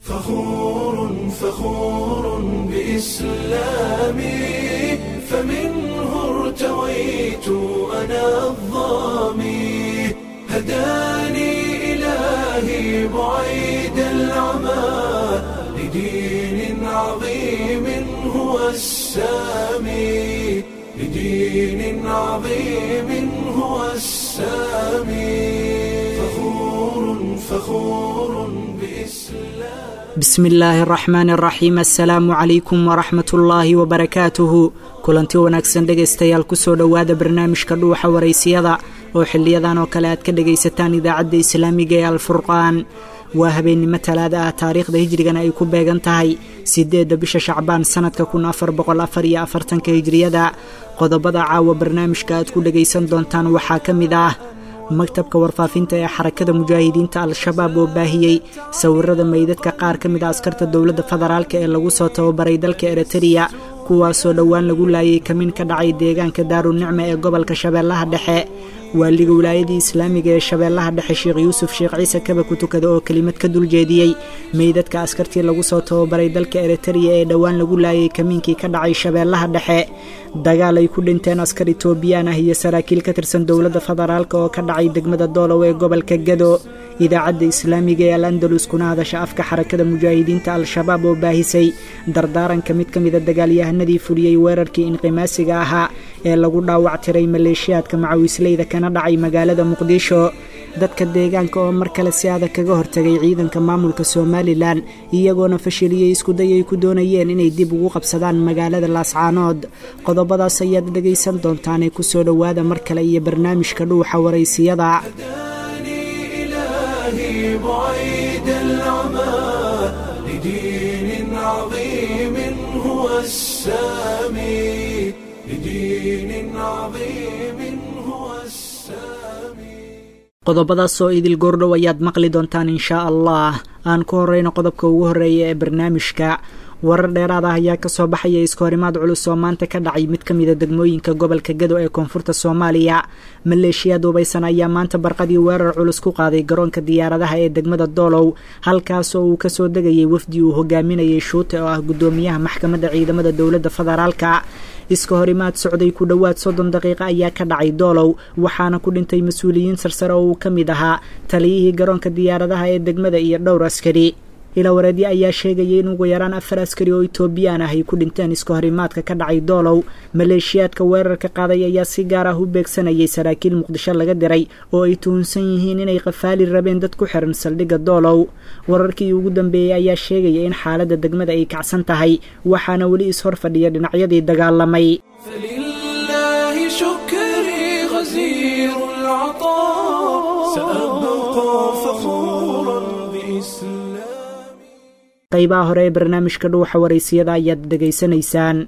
فخور فخور بإسلامي، فمنه ارتويت أنا الظامي، هداني إلهي بعيد العمى لدين عظيم هو السامي، لدين عظيم هو السامي، فخور فخور بإسلام. Bismi illaahi araxmaan araxiim. Assalaamu calaykum waraxmatullaahi wabarakaatuhu. Kulanti wanaagsan dhegaystayaal, kusoo dhowaada barnaamijka Dhuuxa Waraysiyada oo xiliyadan oo kale aad ka dhegaysataan Idaacadda Islaamiga ee Alfurqaan. Waa habeennimo Talaada ah, taariikhda hijrigana ay ku beegan tahay 8-da bisha Shacbaan sanadka 1444-ka hijriyada. Qodobada caawa barnaamijka aad ku dhegaysan doontaan waxaa ka mid ah maktabka warfaafinta ee Xarakada Mujaahidiinta Al-Shabaab oo baahiyey sawirada meydadka qaar ka mid a askarta dowladda federaalka ee lagu soo tababaray dalka Eritreya, kuwaasoo dhowaan lagu laayay kamin ka dhacay deegaanka Daarunicma ee gobolka Shabeellaha Dhexe. Waaliga Wilaayadii Islaamiga ee Shabeellaha Dhexe, Sheekh Yuusuf Sheekh Ciise Kaba ku tukada, oo kelimad ka duljeediyey meydadka askartii lagu soo tababaray dalka Eritreya ee dhowaan lagu laayay kamiinkii ka dhacay Shabeellaha Dhexe. Dagaal ay ku dhinteen askar Itoobiyaan ah iyo saraakiil ka tirsan dowladda federaalka oo ka dhacay degmada Doolow ee gobolka Gado. Idaacadda Islaamiga ee Al Andalus, kuna hadasha afka Xarakada Mujaahidiinta Al-Shabaab, oo baahisay dardaaranka mid ka mida dagaalyahanadii fuliyey weerarkii inqimaasiga ahaa ee lagu dhaawactiray maleeshiyaadka macawisleyda kana dhacay magaalada Muqdisho. Dadka deegaanka oo mar kale si adag kaga hortagay ciidanka maamulka Somalilan, iyagoona fashiliyey iskuday ay ku doonayeen inay dib ugu qabsadaan magaalada Laascaanood. Qodobadaas ayaad dhegaysan doontaanee kusoo dhowaada mar kale iyo barnaamijka Dhuuxa Waraysiyada. هداني إلهي بعيد العمى لدين عظيم هو السامي، لدين عظيم هو السامي. Qodobadaas oo idil goordhow ayaad maqli doontaan, inshaa Allah. Aan ku horeyno qodobka ugu horreeya ee barnaamijka. Warar dheeraad ah ayaa kasoo baxaya iskahorimaad culus oo maanta ka dhacay mid ka mida degmooyinka gobolka Gado ee koonfurta Soomaaliya. Maleeshiyaad hubaysan ayaa maanta barqadii weerar culus ku qaaday garoonka diyaaradaha ee degmada Doolow, halkaasoo uu kasoo degayay wafdi uu hogaaminayay Shuute oo ah guddoomiyaha maxkamadda ciidamada dowladda federaalka. Iska horimaad socday ku dhowaad 30 daqiiqo ayaa ka dhacay Doolow, waxaana ku dhintay mas-uuliyiin sarsare oo uu ka mid ahaa taliyihii garoonka diyaaradaha ee degmada iyo dhowr askari. Ilawareedyo ayaa sheegayay in ugu yaraan afar askari oo Itoobiyaan ah ay ku dhinteen iska horimaadka ka dhacay Doolow. Maleeshiyaadka weerarka qaaday ayaa si gaar ah u beegsanayay saraakiil Muqdisho laga diray oo ay tuhunsan yihiin inay qafaali rabeen dad ku xiran saldhigga Doolow. Wararkii ugu dambeeyey ayaa sheegaya in xaaladda degmada ay kacsan tahay, waxaana weli is-hor fadhiya dhinacyadii dagaalamay. فلله شكري غزير العطاء، سأبقى فخورا بإسلامي. Qaybaha hore ee barnaamijka Dhuuxa Waraysiyada ayaad dhegaysanaysaan.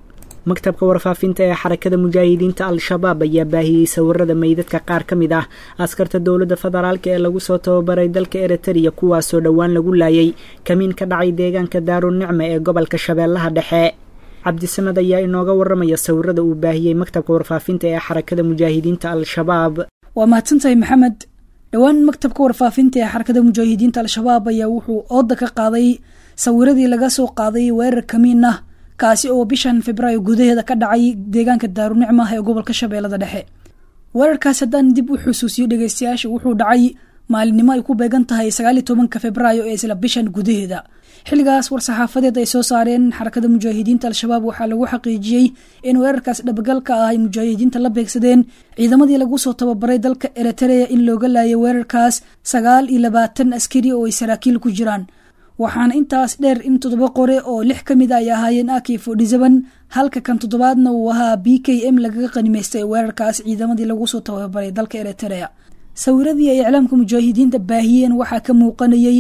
Maktabka warfaafinta ee Xarakada Mujaahidiinta Al-Shabaab ayaa baahiyey sawirada meydadka qaar ka mid ah askarta dowladda federaalka ee lagu soo tababaray dalka Eritreya, kuwaasoo dhowaan lagu laayay kamiin ka dhacay deegaanka Daarunicma ee gobolka Shabeellaha Dhexe. Cabdisamad ayaa inooga waramaya sawirada uu baahiyey maktabka warfaafinta ee Xarakada Mujaahidiinta Al-Shabaab. Waa mahadsantahay, Maxamed. Dhowaan maktabka warfaafinta ee Xarakada Mujaahidiinta Al-Shabaab ayaa wuxuu ooda ka qaaday sawiradii laga soo qaaday weerar kamiin ah, kaasi oo bishan Febraayo gudaheeda ka dhacay deegaanka Daarunicma ee gobolka Shabeellada Dhexe. Weerarkaas haddaan dib u xusuusiyo dhegeystayaasha, wuxuu dhacay maalinimo ay ku beegan tahay 19-ka Febraayo ee isla bishan gudaheeda. Xilligaas war-saxaafadeed ay soo saareen Xarakada Mujaahidiinta Al-Shabaab waxaa lagu xaqiijiyey in weerarkaas dhabagalka ah ay mujaahidiinta la beegsadeen ciidamadii lagu soo tababaray dalka Eritrea, in looga laayay weerarkaas 29 askari oo ay saraakiil ku jiraan. Waxaana intaas dheer in toddoba qore oo lix ka mid a ay ahaayeen AK 47, halka kan toddobaadna uu ahaa BKM, lagaga qanimaystay weerarkaas ciidamadii lagu soo tababaray dalka Eritrea. Sawiradii ay iclaamka mujaahidiinta baahiyeen waxaa ka muuqanayay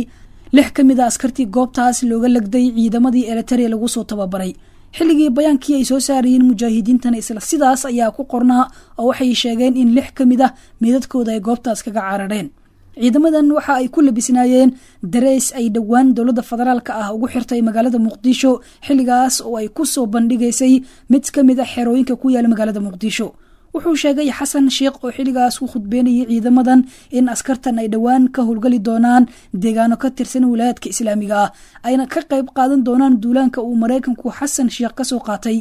lix ka mid a askartii goobtaas looga lagday ciidamadii Eritrea lagu soo tababaray. Xilligii bayaankii ay soo saarayeen mujaahidiintana isla sidaas ayaa ku qornaa, oo waxay sheegeen in lix ka mid ah meydadkooda ay goobtaas kaga carareen. Ciidamadan waxa ay ku labisnaayeen dareys ay dhowaan dowladda federaalka ah ugu xirtay magaalada Muqdisho, xilligaas oo ay ku soo bandhigaysay mid ka mid a xerooyinka ku yaala magaalada Muqdisho. Wuxuu sheegay Xasan Sheekh oo xilligaas u khudbeynayay ciidamadan in askartan ay dhowaan ka howlgali doonaan deegaano ka tirsan wilaayadka islaamiga ah, ayna ka qayb qaadan doonaan duulaanka uu Maraykanku Xasan Sheekh ka soo qaatay.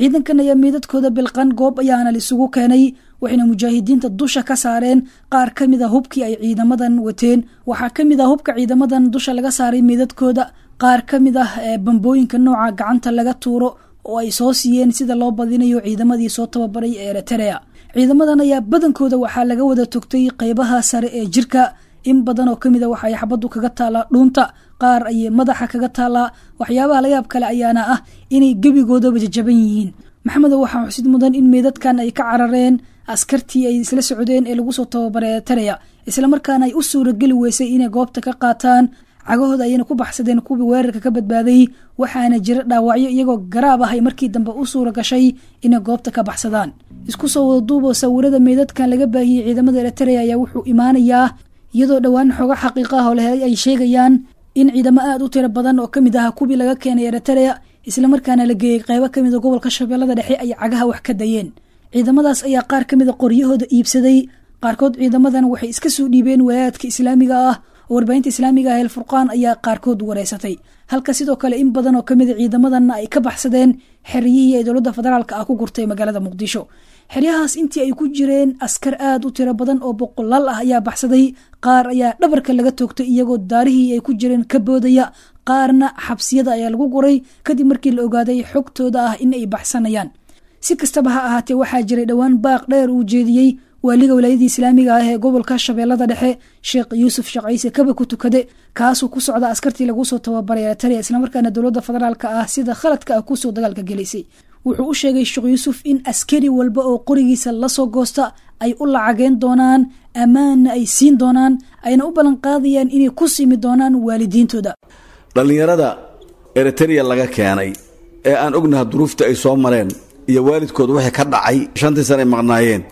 Ciidankan ayaa meydadkooda bilqan goob ayaana lisugu keenay, waxayna mujaahidiinta dusha ka saareen qaar ka mid a hubkii ay ciidamadan wateen. Waxaa ka mid ah hubka ciidamadan dusha laga saaray meydadkooda qaar ka mid ah bambooyinka nooca gacanta laga tuuro oo ay soo siiyeen sida loo badinayo ciidamadii soo tababaray ee Eritrea. Ciidamadan ayaa badankooda waxaa laga wada togtay qeybaha sare ee jirka, in badan oo kamid a waxay xabaddu kaga taalaa dhuunta, qaar ayay madaxa kaga taalaa. Waxyaabaha layaab kale ayaana ah inay gebigoodaba jajaban yihiin. Maxamedow, waxaa xusid mudan in meydadkan ay ka carareen askartii ay isla socdeen ee lagu soo tababaray Eritrea, islamarkaana ay u suurageli weysay inay goobta ka qaataan. Cagahooda ayayna ku baxsadeen kuwii weerarka ka badbaaday, waxaana jira dhaawacyo iyagoo garaab ah ay markii dambe u suura gashay inay goobta ka baxsadaan. Isku soo wada duuboo sawirada meydadkan laga baahiyey ciidamada Eritrea ayaa wuxuu imaanayaa iyadoo dhowaan xogo xaqiiqa ah oo la helay ay sheegayaan in ciidamo aada u tiro badan oo kamid ah kuwii laga keenay Eritrea islamarkaana la geeyey qeybo kamid a gobolka Shabeellada Dhexe ay cagaha wax ka dayeen. Ciidamadaas ayaa qaar kamid a qoryahooda iibsaday, qaarkood ciidamadan waxay iska soo dhiibeen walaayaadka islaamiga ah oo warbaahinta islaamiga ah El Furqaan ayaa qaarkood wareysatay, halka sidoo kale in badan oo kamid a ciidamadanna ay ka baxsadeen xeryihii ay dowladda federaalka ah ku gurtay magaalada Muqdisho. Xeryahaas intii ay ku jireen askar aada u tiro badan oo boqolaal ah ayaa baxsaday, qaar ayaa dhabarka laga toogtay iyagoo daarihii ay ku jireen ka boodaya, qaarna xabsiyada ayaa lagu guray kadib markii la ogaaday xogtooda ah in ay baxsanayaan. Si kastaba ha ahaatee, waxaa jiray dhowaan baaq dheer uu jeediyey waaliga walaayadii islaamiga ah ee gobolka Shabeellada Dhexe, Sheekh Yuusuf Sheekh Ciise Kaba ku tukade, kaasuu ku socda askartii lagu soo tababaray Eritrea islamarkaana dowladda federaalka ah sida khaladka ah kusoo dagaalka gelaysay. Wuxuu u sheegay Sheekh Yuusuf in askari walba oo qorigiisa lasoo goosta ay u lacageen doonaan, ammaanna ay siin doonaan, ayna u ballan qaadayaan inay ku simi doonaan waalidiintooda. Dhallinyarada Eritrea laga keenay ee aan ognaha duruufta ay soo mareen iyo waalidkood wixii ka dhacay 5-tii sana ay maqnaayeen,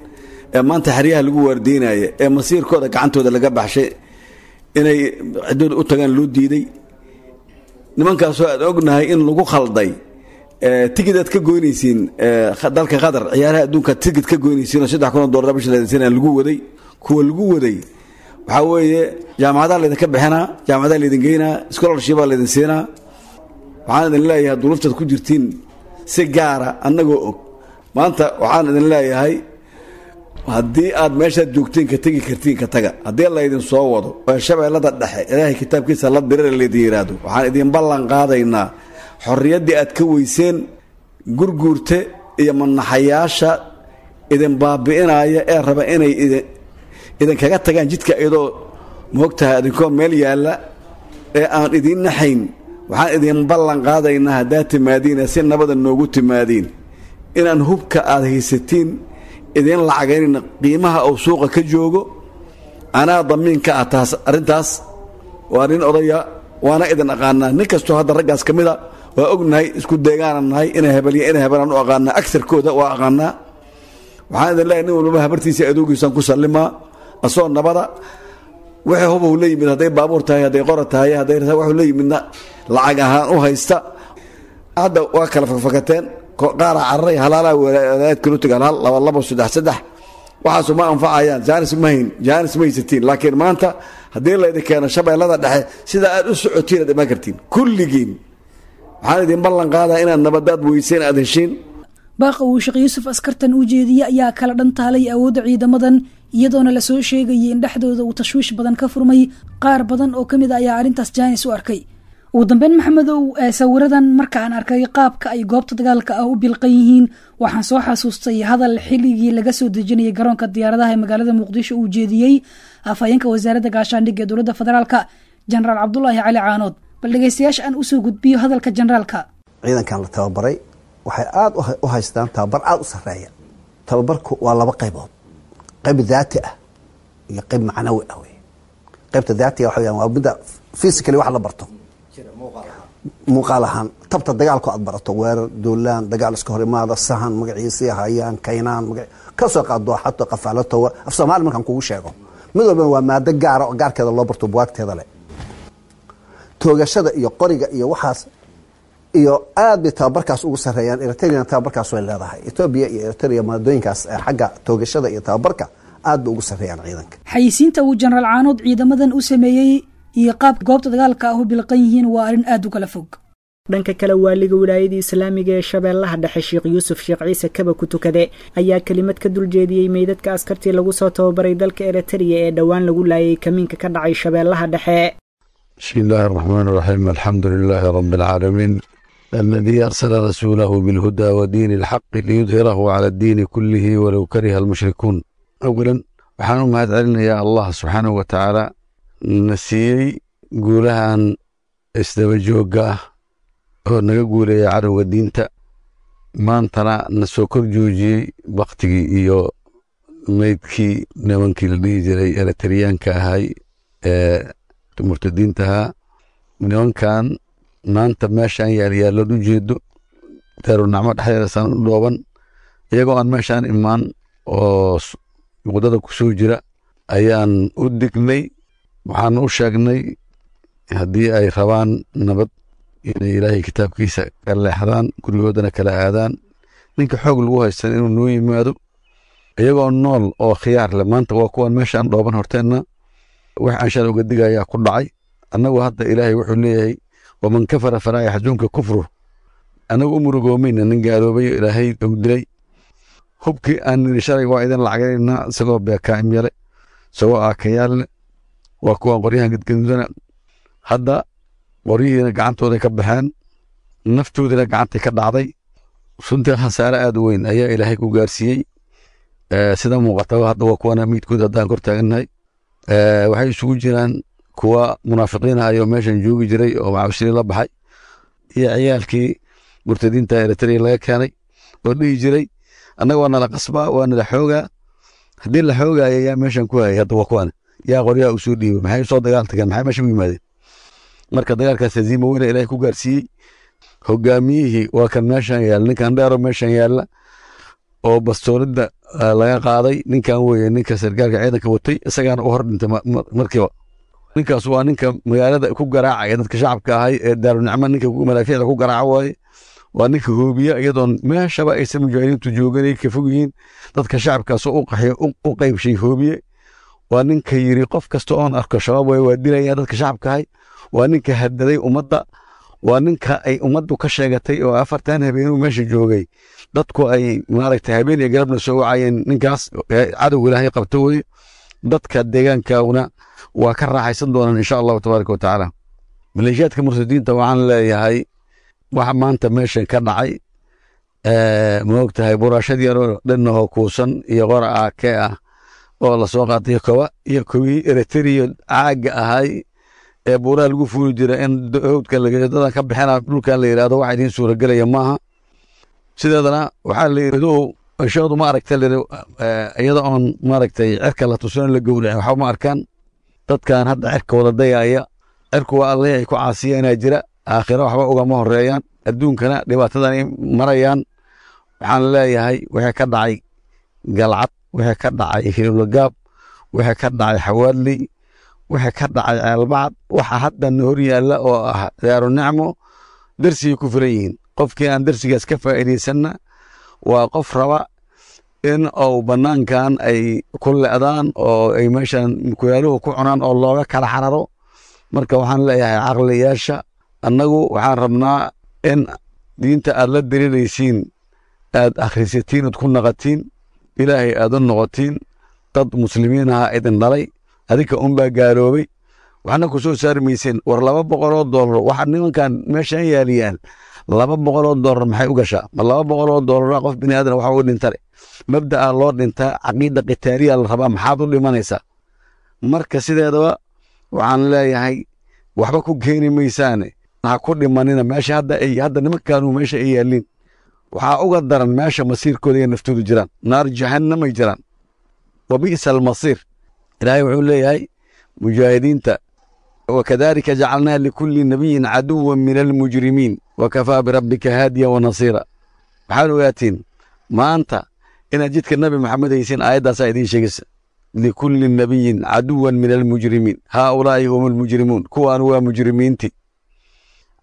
ee maanta xeryaha lagu waardiynaya, ee masiirkooda gacantooda laga baxshay, inay ciddooda u tagaan loo diiday, nimankaasoo aad ognahay in lagu khalday tigid aad ka goynaysiin dalka Qatar, ciyaaraha adduunka tigid ka goynaysiin oo $3,000 bisha laydin siinaya lagu waday. Kuwa lagu waday waxaa weeye jaamacadaha laydinka bixinaa, jaamacadaha laydin geynaa, scholarship baa laydin siinaa. Waxaan idin leeyahay duruuftaad ku jirtiin si gaara annagoo og maanta, waxaan idin leeyahay haddii aad meeshaad joogtiin ka tegi kartiin ka taga. Haddii laydin soo wado ee Shabeellada Dhexe Ilaahay kitaabkiisa la dirira laydin yidhaahdo, waxaan idin ballan qaadaynaa xorriyaddii aad ka weyseen Gurguurte iyo manaxayaasha idin baabi'inaya ee raba inay idinkaga tagaan jidka iyadoo moogtahay idinkoo meel yaalla ee aan idiin naxayn. Waxaan idin ballan qaadaynaa haddaad timaadiin si nabada noogu timaadiin inaan hubka aad haysatiin idiin lacagaynayna qiimaha uu suuqa ka joogo. Anaa damiin ka ah taas arrintaas. Waa nin odaya, waana idin aqaanaa. Nin kastoo hadda raggaas ka mid a waa ognahay, isku deegaanan nahay, ina hebelya ina hebelaan u aqaanaa, agsarkooda waa aqaanaa. Waxaan idin leeyahay nin walbaba habartiisa adoogiisaan ku sallimaa asoo nabada. Wixii hubow la yimid, hadday baabuur tahay, hadday qora tahay, hadday waxuu la yimidna lacag ahaan u haysta. Hadda waa kala fakfakateen, qaaraa cararay, halaalaa walaayad kala tagaan, hal, laba, labo, saddex, saddex. Waxaasu ma anfacayaan. Jaanis ma hayn, jaanis ma haysatiin, laakiin maanta haddii laydin keeno Shabeellada Dhexe sida aad u socotiin aad imaan kartiin kulligiin. Waxaan idin ballan qaadaa inaad nabadaad weyseen aad heshiin. Baaqa uu Sheekh Yuusuf askartan u jeediyey ayaa kala dhantaalay awoodda ciidamadan, iyadoona lasoo sheegayay in dhexdooda uu tashwiish badan ka furmay. Qaar badan oo ka mid a ayaa arrintaas jaanis u arkay. Ugu dambeyn, Maxamedow, sawiradan marka aan arkay qaabka ay goobta dagaalka ah u bilqan yihiin, waxaan soo xasuustay hadal xilligii laga soo dejinayay garoonka diyaaradaha ee magaalada Muqdisho uu jeediyey afhayeenka wasaaradda gaashaandhigga ee dowladda federaalka, Jenaraal Cabdulaahi Cali Caanood. Bal dhegeystayaasha aan usoo gudbiyo hadalka generaalka. Ciidankan la tababaray waxay aada u haystaan tababar aada u sarreeya. Tababarku waa laba qaybood: qayb daati ah iyo qayb macnawi ah. Wey qaybta daatiga waxa weyaan waa midda physically wax la barto muuqaal ahaan, tabta dagaalku aad barato, weerar, duulaan, dagaal, iska hor imaada, sahan, magaciisii hayaan, kaynaan, maga ka soo qaad, dooxato, qafaalato. Af Soomaali markaan kugu sheego, mid walbana waa maado gaara oo gaarkeeda loo barto, buwaagteeda leh, toogashada iyo qoriga iyo waxaas. Iyo aad bay tababarkaas ugu sareeyaan. Eritreana tababarkaas way leedahay. Etoobiya iyo Eritrea maadooyinkaas xagga toogashada iyo tababarka aad bay ugu sareeyaan ciidanka. Xayisiinta uu Jenaraal Caanood ciidamadan u sameeyey iyo qaabka goobta dagaalka ah u bilqan yihiin waa arrin aad u kala fog. Dhanka kale, waaliga wilaayada islaamiga ee Shabeellaha Dhexe, Sheekh Yuusuf Sheekh Ciise Kaba ku tukade, ayaa kelimad ka duljeediyey meydadka askartii lagu soo tababaray dalka Eritrea ee dhowaan lagu laayay kamiinka ka dhacay Shabeellaha Dhexe. بسم الله الرحمن الرحيم، الحمد لله رب العالمين، الذي أرسل رسوله بالهدى ودين الحق ليظهره على الدين كله ولو كره المشركون. أولا، waxaan u mahad celinayaa Allah subxaanahu wa tacaala na siiyey guulahan isdaba joogga ah oo naga guuleeya cadowga diinta, maantana na soo kor joojiyey baktigii iyo meydkii nimankii la dhihi jiray Eritriyaanka ahay ee murtadiinta ahaa. Nimankan maanta meeshaan yaalyaallood u jeedo, Daarunacmo dhexdeeda saan u dhooban, iyagoo aan meeshaan imaan oo waddada ku soo jira ayaan u dignay. Waxaan u sheegnay haddii ay rabaan nabad inay Ilaahay kitaabkiisa ka leexdaan, gurigoodana kala aadaan, ninka xoog lagu haystan inuu noo yimaado iyagoo nool oo khiyaar leh. Maanta waa kuwan meeshaan dhooban horteenna. Wax aan shalay uga digayaa ku dhacay. Annagu hadda Ilaahay wuxuu leeyahay: "Waman kafara falaa yaxzunka kufruh." Annagu u murugoomayna nin gaaloobay Ilaahay uu dilay. Hubkii aan niri shalay waa idin lacagaynaynaa, isagoo beekaa'im yale, isagoo aakayaal leh, waa kuwan qoryahan gadgadudana. Hadda qoryihiina gacantooday ka baxeen, naftoodina gacantay ka dhacday. Runtii khasaare aad u weyn ayaa Ilaahay ku gaarsiiyey. Sida muuqataba hadda waa kuwana miidkooda haddaan kor taagannahay. Waxay isugu jiraan kuwa munaafiqiin ah oo meeshan joogi jiray oo macawsili la baxay, iyo ciyaalkii murtadiinta Eritrea laga keenay oo dhihi jiray: "Annaga waa nala qasbaa, waa nala xoogaa." Haddii la xoogaayo, yaa meeshan ku hayay? Hadda waa kuwan. Yaa qoryaha usoo dhiibay? Maxay usoo dagaal tageen? Maxay meesha u yimaadeen? Marka dagaalkaas haziima weyna Ilaahay ku gaarsiiyey. Hogaamiyihii waa kan meeshan yaalla, ninkan dheero meeshan yaalla oo bastoolida laga qaaday. Ninkan weeye ninka sargaalka ciidanka watay, isagaana u hor dhintay markiiba. Ninkaas waa ninka magaalada ku garaacaya dadka shacabka ahay ee Daarunicmo, ninka malaafiicda ku garaaca waaye. Waa ninka hoobiya iyadoon meeshaba aysan mujaahidiintu joogan, ay ka fog yihiin, dadka shacabkaasoo u qaxiyo u qaybshay hoobiye. Waa ninka yiri: "Qof kasta oon arko Shabaab waay, waa dilaya." Dadka shacabka ahay waa ninka hadaday ummadda, waa ninka ay ummaddu ka sheegatay oo 40 habeenuu meesha joogay dadku ay maaragtay habeen iyo galabna soo wacayeen. Ninkaas cadowga Ilaahay qabto weye. Dadka deegaankauna waa ka raaxaysan doonaan, insha Allahu tabaaraka wa tacaala. Maleeshiyaadka murtadiinta waxaan leeyahay: waxa maanta meeshan ka dhacay, ma ogtahay, buraashad yaroo dhanahoo kuusan iyo qora aake ah oo lasoo qaatay, koba iyo kowii Eritrea caagga ahay ee buuraha lagu fuuli jira in howdka dadan ka bixina dhulkan la yidhahdo, waxa idiin suuragelaya maaha. Sideedana waxaa la yidhi: ishoodu ma aragta iyada oon maaragtay cirka la tusin la gowracin, waxba ma arkaan. Dadkan hadda cirka wada dayaya, cirku waa Allihii ay ku caasiyanaa jira. Aakhiro waxba ugama horeeyaan, adduunkana dhibaatadan ay marayaan. Waxaan leeyahay: wixii ka dhacay Galcad, wixii ka dhacay Hilowlagaab, wixii ka dhacay Xawaadley, wixii ka dhacay Ceelbacad, waxa hadda na hor yaalla oo ah Daaru Nicmo, darsigay ku filan yihiin. Qofkii aan darsigaas ka faa'iidaysanna waa qof raba in uu bannaankan ay ku le'daan oo ay meeshan kulaaluhu ku cunaan oo looga kala xararo. Marka waxaan leeyahay caqliyaasha: annagu waxaan rabnaa in diinta aad la diriiraysiin aad akhrisatiin ood ku naqatiin, Ilaahay aad u noqotiin. Dad muslimiin aha idin dhalay, adinka unbaa gaaloobay, waxna ku soo saari mayseen. War $200 waxa nimankan meeshan yaaliyaan, $200 maxay u gashaa? Ma $200 qof bini aadan waxa u dhintare? Mabda'a loo dhintaa, caqiida qitaaliya la rabaa. Maxaad u dhimanaysaa? Marka sideedaba waxaan leeyahay: waxba ku keeni maysaane, ha ku dhimanina meesha hadda ay hadda nimankaanu meesha ay yaalliin. Waxaa uga daran meesha masiirkooda iyo naftoodu jiraan, naar jahannamay jiraan. Wa bi'sa almasiir. Ilaahay wuxuu leeyahay mujaahidiinta: "Wakadalika jacalnaa likulli nabiyin caduwan min almujrimiin wakafaa birabbika haadiya wa nasiira." Waxaad ogaatiin maanta inaad jidka Nabi Maxamed haysiin. Aayaddaasaa idiin sheegaysa: "Likulli nabiyin caduwan min almujrimiin, haaulaa'i hum almujrimuun." Kuwaan waa mujrimiinti.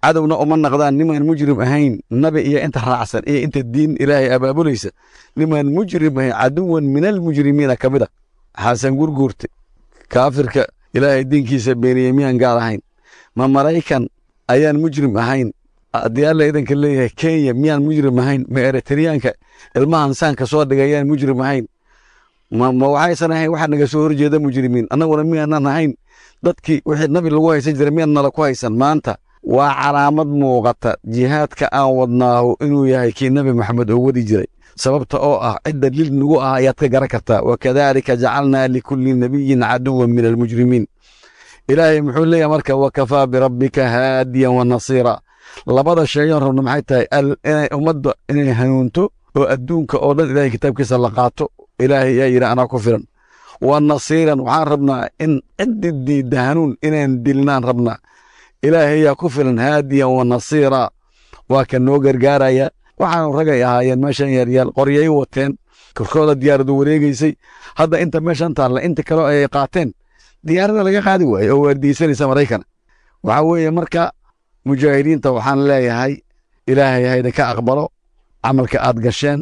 Cadowna uma naqdaan nimaan mujrim ahayn. Nabi iyo inta raacsan iyo inta diin ilaahay abaabulaysa, nimaan mujrim ahayn, caduwan min almujrimiina ka mid a. Xasan Gurguurte, kaafirka ilaahay diinkiisa beeniyey, miyaan gaal ahayn? Ma Maraykan ayaan mujrim ahayn? Haddii Alla idanka leeyahay, Kenya miyaan mujrim ahayn? Ma Eritriyaanka ilmahan saanka soo dhigay ayaan mujrim ahayn? Ma waxaysan ahayn waxaa naga soo horjeeda mujrimiin? Annaguna miyaanan ahayn dadkii wixii nabi lagu haysan jiray? Miyaan nala ku haysan? Maanta waa calaamad muuqata jihaadka aan wadnaahu inuu yahay kii Nabi Maxamed oo wadi jiray, sababta oo ah cidda lil nagu ah ayaad ka garan kartaa. Wakadaalika jacalnaa likulli nabiyin caduwan min almujrimiin. Ilaahay muxuu leeyahay marka? Wakafaa birabbika haadiyan wa nasiira. Labada sheeyoon rabno maxay tahay? Inay ummadda inay hanuunto oo adduunka oo dhan Ilahay kitaabkiisa la qaato. Ilaahay yaa yidhi anaa ku filan wa nasiiran. Waxaan rabnaa in ciddi diidda hanuun inaan dilnaan rabnaa. Ilaahay yaa ku filan haadiyan wa nasiira, waa ka noo gargaaraya. Waxaanu ragay ahaayeen meeshan yaaryaal, qoryay wateen, korkooda diyaaradu wareegeysay. Hadda inta meeshan taalla, inta kaleo ay qaateen diyaarada laga qaadi waaye oo waardiyeysanaysa Maraykan. Waxaa weeye marka mujaahidiinta waxaan leeyahay, Ilaahay hayda ka aqbalo camalka aad gasheen,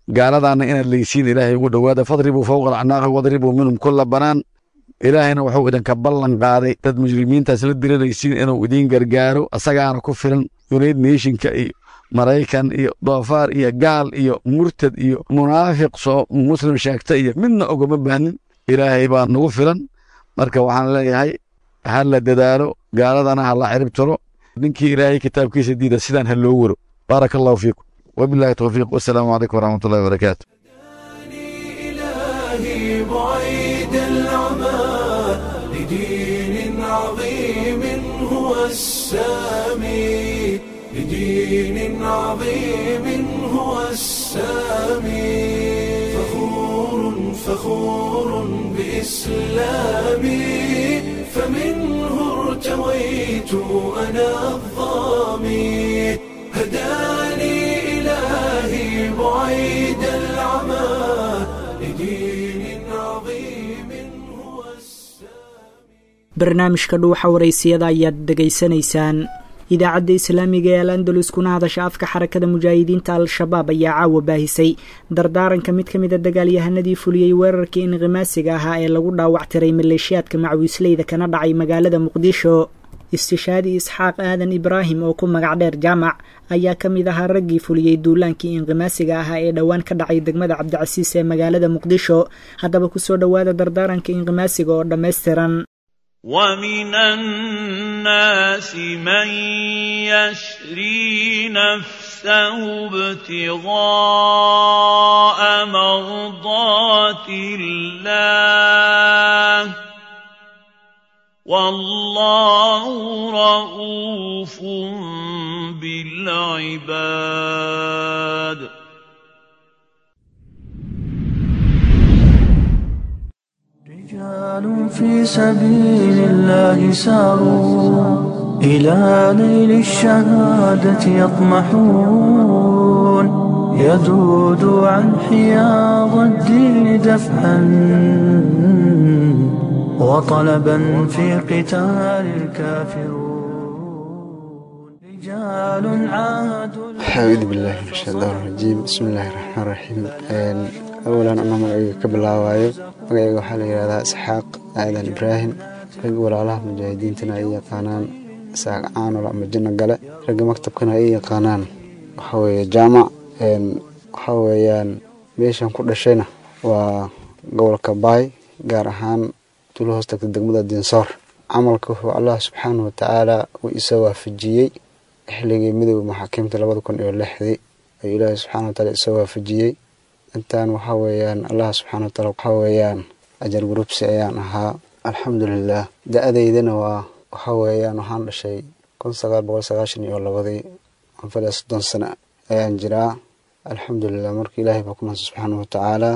gaaladaana inaad leysiin Ilaahay ugu dhowaada. Fadribuu fowqa alacnaaqi wadribuu minhum kulla banaan. Ilaahayna wuxuu idinka ballan qaaday dad mujrimiintaas la diranaysiin inuu idiin gargaaro, asagaana ku filan. United Nationka iyo Maraykan iyo doofaar iyo gaal iyo murtad iyo munaafiq soo muslim sheegta iyo midna ogama baahnin, Ilaahay baa nagu filan. Marka waxaan leeyahay ha la dadaalo, gaaladana ha la cirib tiro. Ninkii Ilaahay kitaabkiisa diida sidaan ha loo waro. Baaraka Allahu fiikum, wabillahi towfiiq, wasalaamu calaykum waraxmat ullahi wabarakaatu. إلهي بعيد العمى لدين عظيم هو السامي، لدين عظيم هو السامي، فخور فخور بإسلامي، فمنه ارتويت أنا الظامي، هداني إلهي بعيد العمى لدين عظيم هو السامي. Barnaamijka Dhuuxa Waraysiyada ayaad dhegaysanaysaan. Idaacadda islaamiga ee Al Andalus, kuna hadasha afka Xarakada Mujaahidiinta Al-Shabaab, ayaa caawa baahisay dardaaranka mid ka mid a dagaalyahanadii fuliyey weerarkii inqimaasiga ahaa ee lagu dhaawactiray maleeshiyaadka macwiisleyda kana dhacay magaalada Muqdisho. Istishaadi Isxaaq Aadan Ibraahim oo ku magac dheer Jaamac ayaa ka mid ahaa raggii fuliyey duulaankii inqimaasiga ahaa ee dhowaan ka dhacay degmada Cabdicasiis ee magaalada Muqdisho. Haddaba kusoo dhowaada dardaaranka inqimaasiga oo dhammaystiran. ومن الناس من يشري نفسه ابتغاء مرضات الله، والله رؤوف بالعباد. رجال في سبيل الله ساروا إلى نيل الشهادة يطمحون، يذود عن حياض الدين دفعا، وطلبا في قتال الكافرون. رجال عاهدوا أعوذ بالله من الشيطان الرجيم، بسم الله الرحمن الرحيم. Awalan, anoo magacayga ka bilaabaayo, magacayga waxaa la yidhahdaa Isxaaq Aadan Ibraahim, ragga walaalaha mujaahidiintana ay yaqaanaan Isaaq Caanol ama Jinno Gale, ragga maktabkana ay yaqaanaan waxaa weeye Jaamac. Waxaa weeyaan meeshan ku dhashayna waa gobolka Baay, gaar ahaan tuulo hoos tagta degmada Dinsoor. Camalka wuxuu Allah subxaanahu watacaala uu isa waafajiyey xilligii midowda maxaakiimta 2006-dii ayuu Ilaahay subxaana watacaala isa waafajiyey. Intaan waxaa weeyaan Allah subxaana wataala waxaa weeyaan ajar gurubsi ayaan ahaa, alxamdulilah. Da-adeydana waa waxaa weeyaan waxaan dhashay 1992-dii, anfala 30 sano ayaan jiraa, alxamdulilah. Marka Ilaahay baa ku mahadsan subxaana watacaala.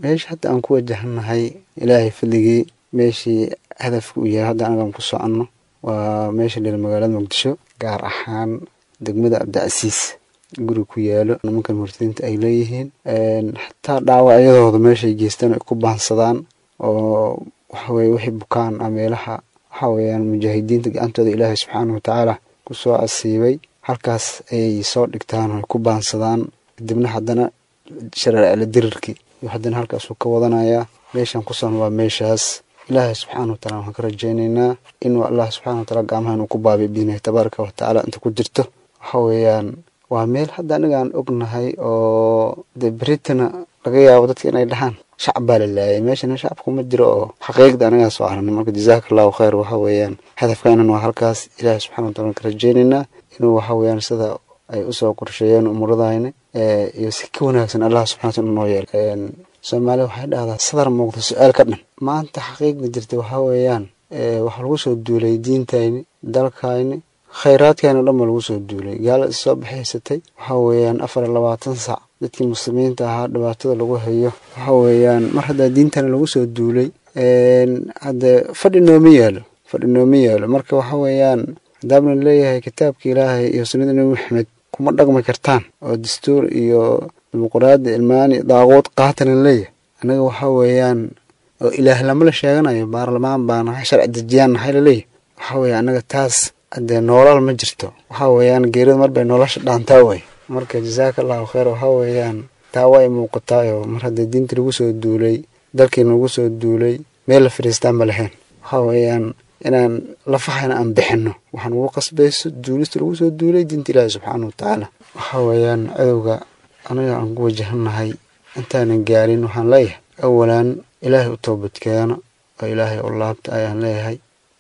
Meesha hadda aan ku wajahanahay, Ilaahay fadligii, meeshii hadafka uu yahay hadda anagaan ku soconno waa meesha dhil magaalada Muqdisho, gaar ahaan degmada Cabdicasiis, guri ku yaalo nimankan murtadiinta ay leeyihiin. Xataa dhaawacyadooda meeshay geystaan ay ku baansadaan oo waxaweye wixii bukaan ah meelaha waxaa weeyaan mujaahidiinta gacantooda Ilaahay subxaana watacaala ku soo casiibay halkaas ayay soo dhigtaan oo ku baansadaan. Kadibna haddana shareecla dirirkii iyo haddana halkaasuu ka wadanayaa. Meeshan kusan waa meeshaas. Ilaahay subxaana wa taala waxaan ka rajaynaynaa inuu Allah subxaana wa taala gacmaha inuu ku baabiyo biidnihi tabaaraka wa tacaala inta ku jirto. Waxa weeyaan waa meel hadda aniga aan ognahay oo dee beritana laga yaabo dadka inay dhahaan shacab baa la laayay, meeshana shacabku ma jiro oo xaqiiqda anigaa soo aragnay. Marka jazaaka allahu khayr. Waxa weeyaan hadafkaanan waa halkaas. Ilaahay subxana wa taala ka rajaynaynaa inuu waxa weeyaan sida ay usoo qorsheeyeen umuradayna iyo si ka wanaagsan Allah subxana wa taala noo yeelo. Soomaaliya waxay dhahdaa sadar muuqda su-aal ka dhan. Maanta xaqiiqda jirta waxaa weeyaan waxaa lagu soo duulay diintayni, dalkayni, khayraadkayni o dhan baa lagu soo duulay. Gaala is soo baxaysatay. Waxaa weeyaan 24 sac dadkii muslimiinta ahaa dhibaatada lagu hayo. Waxa weeyaan mar haddaa diintana lagu soo duulay, hadde fadhi nooma yaalo, fadhi nooma yaalo. Marka waxa weeyaan haddaabna leeyahay kitaabka Ilaahay iyo sunnada Nebi Maxamed kuma dhaqmi kartaan oo dastuur iyo dimuqraadi ilmaani daaquud qaatana leeyahay, anaga waxa weeyaan oo ilaah lama la sheeganayo, baarlamaan baa nahay, sharci dejiyaan nahay laleeyahay. Waxa weeye anaga taas haddee noolal ma jirto. Waxa weeyaan geerida mar bay nolosha dhaantaa wey. Marka jazaaka allahu khayr. Waxa weeyaan taa waa ay muuqataayo mar haddii diinta lagu soo duulay, dalkiina lagu soo duulay, meel la fadhiistaan ma lahayn. Waxa weeyaan inaan lafahayna aan bixinno waxaan ugu qasbayso duulista lagu soo duulay diinta Ilaahi subxaana wa tacaala. Waxa weeyaan cadowga aniga aan ku wajahannahay intaanan gaarin waxaan leeyahay awalan Ilaahay u toobadkeena oo Ilaahay u laabta ayaan leeyahay.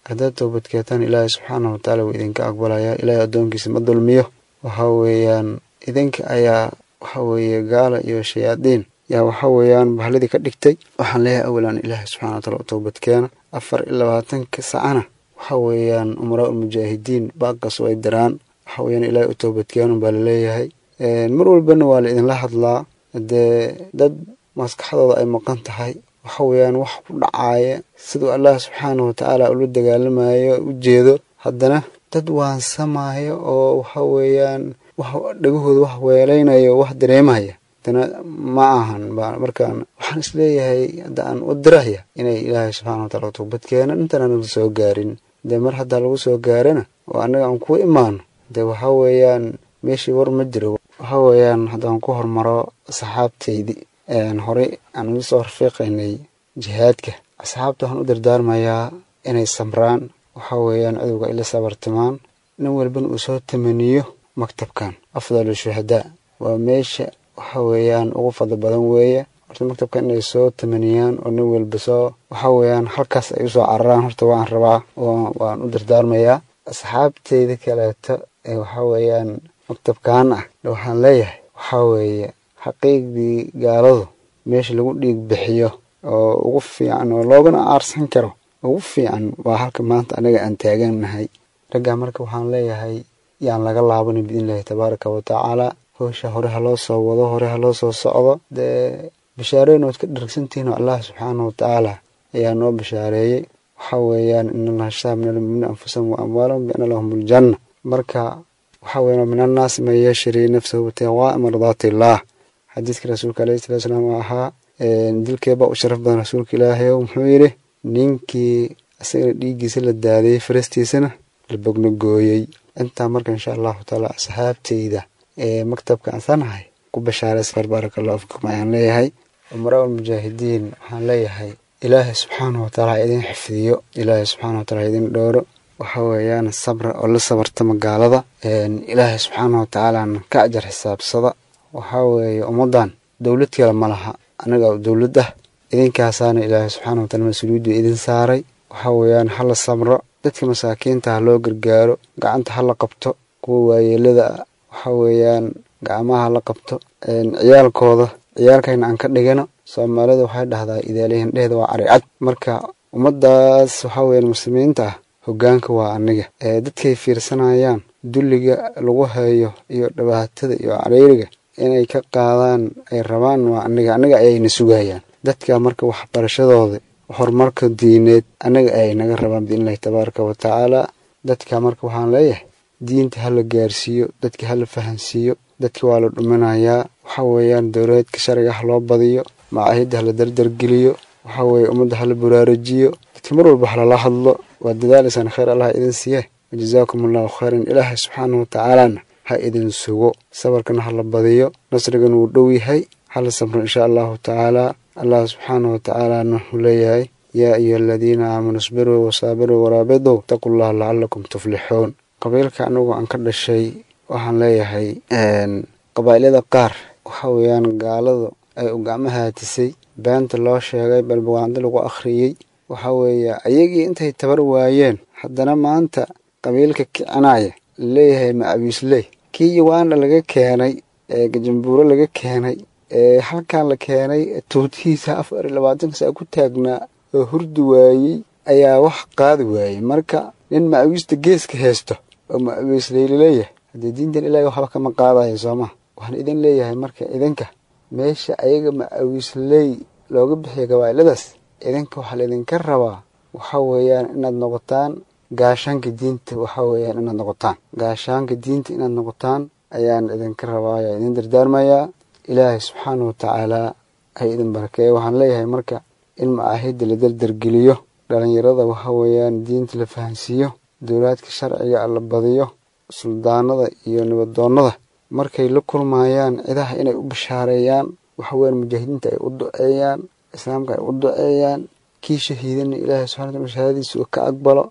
Haddaad toobadkeetaan Ilaahay subxaana wa tacaala wuu idinka aqbalayaa. Ilaahay addoonkiisa ma dulmiyo. Waxa weeyaan idinka ayaa waxa weeye gaala iyo shayaadiin yaa waxa weeyaan bahladii ka dhigtay. Waxaan leeyahay awalan Ilaahay subxana wa taala u toobadkeena. 24-ka sacana waxa weeyaan umaraa ulmujaahidiin baaqaas way diraan. Waxa weeyaan Ilaahay u toobadkeenu baa laleeyahay. Mar walbana waa la idinla hadlaa. Dee dad maskaxdooda ay maqan tahay waxa weeyaan wax ku dhacaaya siduu Allah subxaana wa tacaala ula dagaalamayo u jeedo, haddana dad waansamaayo oo waxa weeyaan wax dhagahooda wax weelaynayo wax dareemaya haddana ma ahan. Markaan waxaan isleeyahay hadda aan u diraya inay Ilaahay subxana wa taala toobad keenan intaan anaga soo gaarin. Dee mar haddaa lagu soo gaarana oo annaga aan ku imaano, dee waxa weeyaan meeshii war ma jiro. Waxa weeyaan haddaan ku hormaro asxaabtaydii horey aan ugu soo rafiiqaynay jihaadka, asxaabta waxaan u dardaarmayaa inay samraan. Waxa weeyaan cadowga ay la sabartimaan, nin walbana uu soo tamaniyo maktabkan afdalu shuhadaa waa meesha waxa weeyaan ugu fadli badan weeye. Horta maktabkan inay soo tamaniyaan oo nin walba soo waxa weeyaan halkaas ay usoo cararaan horta waan rabaa oo waan u dardaarmayaa. Asxaabteyda kaleeto ee waxa weeyaan maktabkan ah waxaan leeyahay waxaa weeye xaqiiqdii gaaladu meesha lagu dhiig bixiyo oo ugu fiican oo loogana aarsan karo ugu fiican waa halka maanta anaga aan taagannahay raggaa. Marka waxaan leeyahay yaan laga laabanin biidnillahi tabaaraka wa tacaala. Howsha hore ha loo soo wado, hore ha loo soo socdo. Dee bishaareyn ood ka dharagsantihiin oo Allah subxaana wa tacaala ayaa noo bishaareeyey. Waxa weeyaan in Allaha ishtaraa min almu'miniina anfusahum wa amwaalahum bianna lahum aljanna. Marka waxa weeyaan min annaasi man yashri nafsahu ibtigaa mardaati illaah. Xadiiska rasuulka alayhi salatu wasalaam oo ahaa dilkeebaa u sharaf badan rasuulka Ilaahay, muxuu yidhi? Ninkii isagana dhiiggiisa la daadiyey, farastiisana la bogno gooyey. Intaa marka insha allahu tacaala asxaabteyda ee maktabka ansanahay ku bashaaraysa, baaraka allahu fikum ayaan leeyahay. Umaraa almujaahidiin waxaan leeyahay Ilaahay subxaana wa taala ha idin xifdiyo, Ilaahay subxaana wa taala ha idin dhooro. Waxa weeyaan sabra oo la sabartama gaalada, Ilaahay subxaana wa tacaalana ka ajar xisaabsada. Waxaa weeye ummaddan dowlad kale ma laha, anaga dowlad ah idinkaasaana Ilaahay subxaana wa taala mas-uuliyaddu idin saaray. Waxa weeyaan hala sabro, dadka masaakiinta ha loo gargaaro, gacanta ha la qabto kuwa waayeelada ah, waxa weeyaan gacmaha ha la qabto ciyaalkooda, ciyaalkayna aan ka dhigano. Soomaalida waxay dhahdaa idaalihin dheheeda waa caricad. Marka ummaddaas waxaa weeyaan muslimiinta ah hoggaanka waa aniga ee dadkay fiirsanayaan dulliga lagu hayo iyo dhibaatada iyo cariiriga inay ka qaadaan ay rabaan waa aniga, aniga ayayna sugayaan dadka. Marka waxbarashadooda horumarka diineed anaga ayay naga rabaan biidnillahi tabaaraka wa tacaala dadka. Marka waxaan leeyahay diinta hala gaarsiiyo dadka, hala fahansiiyo dadka, waa la dhuminayaa. Waxa weeyaan dowladeedka sharciga ha loo badiyo, macaahidda hala dardargeliyo, waxa weeye ummadda hala buraarujiyo dadka, mar walba halala hadlo. Waa dadaalaysaan, khayr Allah idin siiye. Wajazaakum allahu khayran. Ilaahay subxaanahu watacaalana ha idin sugo, sabarkana ha la badiyo, nasrigana wuu dhow yahay, hala sabro insha allahu tacaala. Allah subxaanahu watacaalana wuxuu leeyahay yaa ayuha aladiina aamanuu isbiruu wasaabiruu waraabiduu ittaquu llaha lacalakum tuflixuun. Qabiilka anigu aan ka dhashay waxaan leeyahay qabaa'ilada qaar waxa weeyaan gaaladu ay u gacmo haatisay, beenta loo sheegay, balbugaando lagu akhriyey. Waxa weeye ayagii intay tabar waayeen haddana maanta qabiilka kicinaya laleeyahay macawiisley, kii Uganda laga keenay ee Gajambuuro laga keenay ee halkan la keenay tuutihiisa 24 saa ku taagnaa oo hurdi waayey ayaa wax qaadi waayey. Marka nin macawiista geeska haysto oo macawiisley laleeyahay haddee diintan ilaahay waxba kama qaadayo sooma. Waxaan idin leeyahay marka idinka meesha ayaga macawiisley looga bixiya gabaa'iladaas, idinka waxaa laydinka rabaa waxa weeyaan inaad noqotaan gaashaanka diinta. Waxa weeyaan inaad noqotaan gaashaanka diinta, inaad noqotaan ayaan idinka rabaa, ayaa idin dardaarmayaa. Ilaahay subxaanahu watacaalaa ha idin barakeeyo. Waxaan leeyahay marka in macaahidda la dardargeliyo, dhalinyarada waxa weeyaan diinta la fahansiiyo, dowlaadka sharciga la badiyo, suldaanada iyo nabadoonnada markay la kulmayaan cidaha inay u bashaareeyaan, waxa weeyaan mujaahidiinta ay u duceeyaan, islaamka ay u duceeyaan, kii shahiidana ilaahay subxana wataala shahaadadiisa uu ka aqbalo.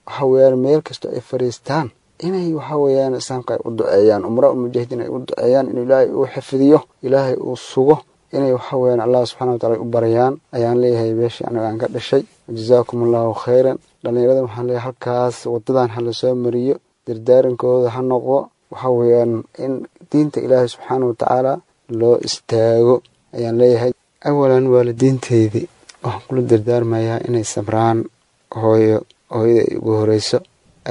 Waxa weeyaan meel kasta ay fadhiistaan inay waxa weeyaan islaamka ay u duceeyaan, umraa mujaahidiin ay u duceeyaan inuu ilaahay uu xifdiyo, ilaahay uu sugo, inay waxa weeyaan allah subxana watacala ay u baryaan ayaan leeyahay beeshii aniga aan ka dhashay. Jazaakum allahu khayran. Dhalinyarada waxaan leeyahay halkaas wadadan ha lasoo mariyo, dardaarankooda ha noqdo waxa weeyaan in diinta ilaahay subxaana watacaala loo istaago ayaan leeyahay. Awalan waalidiinteydii waxaan kula dardaarmayaa inay sabraan. Hooyo, hooyada ay ugu horeyso,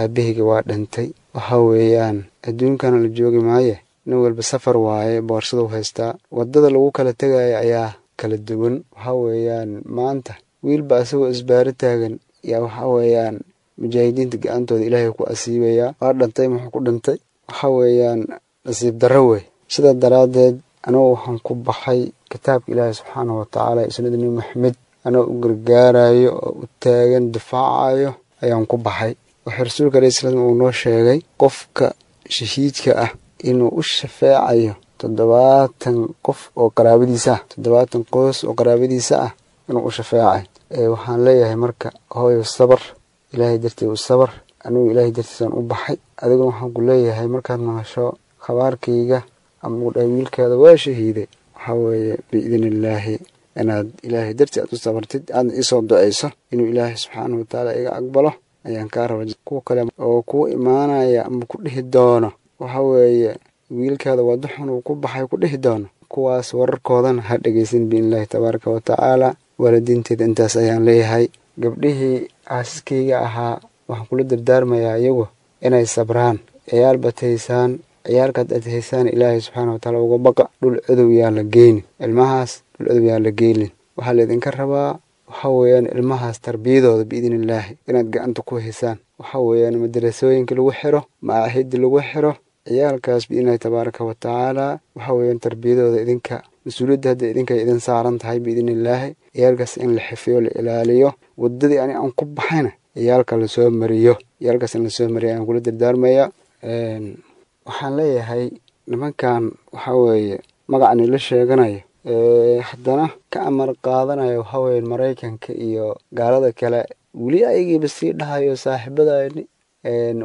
aabahayga waa dhintay. Waxa weeyaan adduunkana la joogi maaye, nin walba safar waaye, boorsadu haystaa, waddada lagu kala tegaya ayaa kala duwan. Waxa weeyaan maanta wiilba asagoo isbaaro taagan yaa waxa weeyaan mujaahidiinta gacantooda ilaahay ku asiibayaa. Waa dhintay, muxuu ku dhintay? Waxa weeyaan nasiib darro wey. Sidaa daraaddeed anugu waxaan ku baxay kitaabka ilaahay subxaanahu watacaala iyo sunnada Nebi Maxamed, anoo u gargaarayo oo u taagan difaacayo ayaan ku baxay. Wuxuu rasuulka alayhi salaam uu noo sheegay qofka shahiidka ah inuu u shafeecayo 70 qof oo qaraabadiisa ah, 70 qoys oo qaraabadiisa ah inuu u shafeecayo. Waxaan leeyahay marka hooyo sabar, ilaahay dartii u sabar. Anigu ilaahay dartiisaan u baxay, adiguna waxaan ku leeyahay markaad maqasho khabaarkayga ama uu dhahay wiilkaada waa shahiiday, waxaa weeye biidni illaahi inaad ilaahay dartii aad u sabartid, aadna iisoo duceyso inuu ilaahay subxaanahu watacaala iga aqbalo ayaan kaa raba. Kuwa kale oo kuu imaanaya ama ku dhihi doono waxa weeye wiilkaada waa duxun uu ku baxay ku dhihi doono, kuwaas wararkoodana ha dhegeysan biidnillaahi tabaaraka wa tacaala. Waalidiinteeda intaas ayaan leeyahay. Gabdhihii xaasaskayga ahaa waxaan kula dardaarmayaa iyagu inay sabraan, ciyaal bataysaan, ciyaalkaad aad haysaan ilaahay subxaana watacaala uga baqa. Dhul codow yaa la geynin ilmahaas, dhul codow yaa la geynin. Waxaa laydinka rabaa waxa weeyaan ilmahaas tarbiyadooda biidni illaahi inaad gacanta ku haysaan. Waxa weeyaan madarasooyinka lagu xiro, macaahidda lagu xiro ciyaalkaas biidnillahi tabaaraka wa tacaala. Waxa weeyaan tarbiyadooda idinka mas-uuliyadda hadda idinka idin saaran tahay biidni illaahi. Ciyaalkaas in la xifiyo, la ilaaliyo, waddadii ani aan ku baxayna ciyaalka lasoo mariyo, ciyaalkaas in lasoo mariyo ayaan kula dardaarmayaa. Waxaan leeyahay nimankan waxa weeye magacan ila sheeganayo haddana ka amar qaadanayo waxa weeye Maraykanka iyo gaalada kale, weli ayagiiba sii dhahayo saaxiibadayni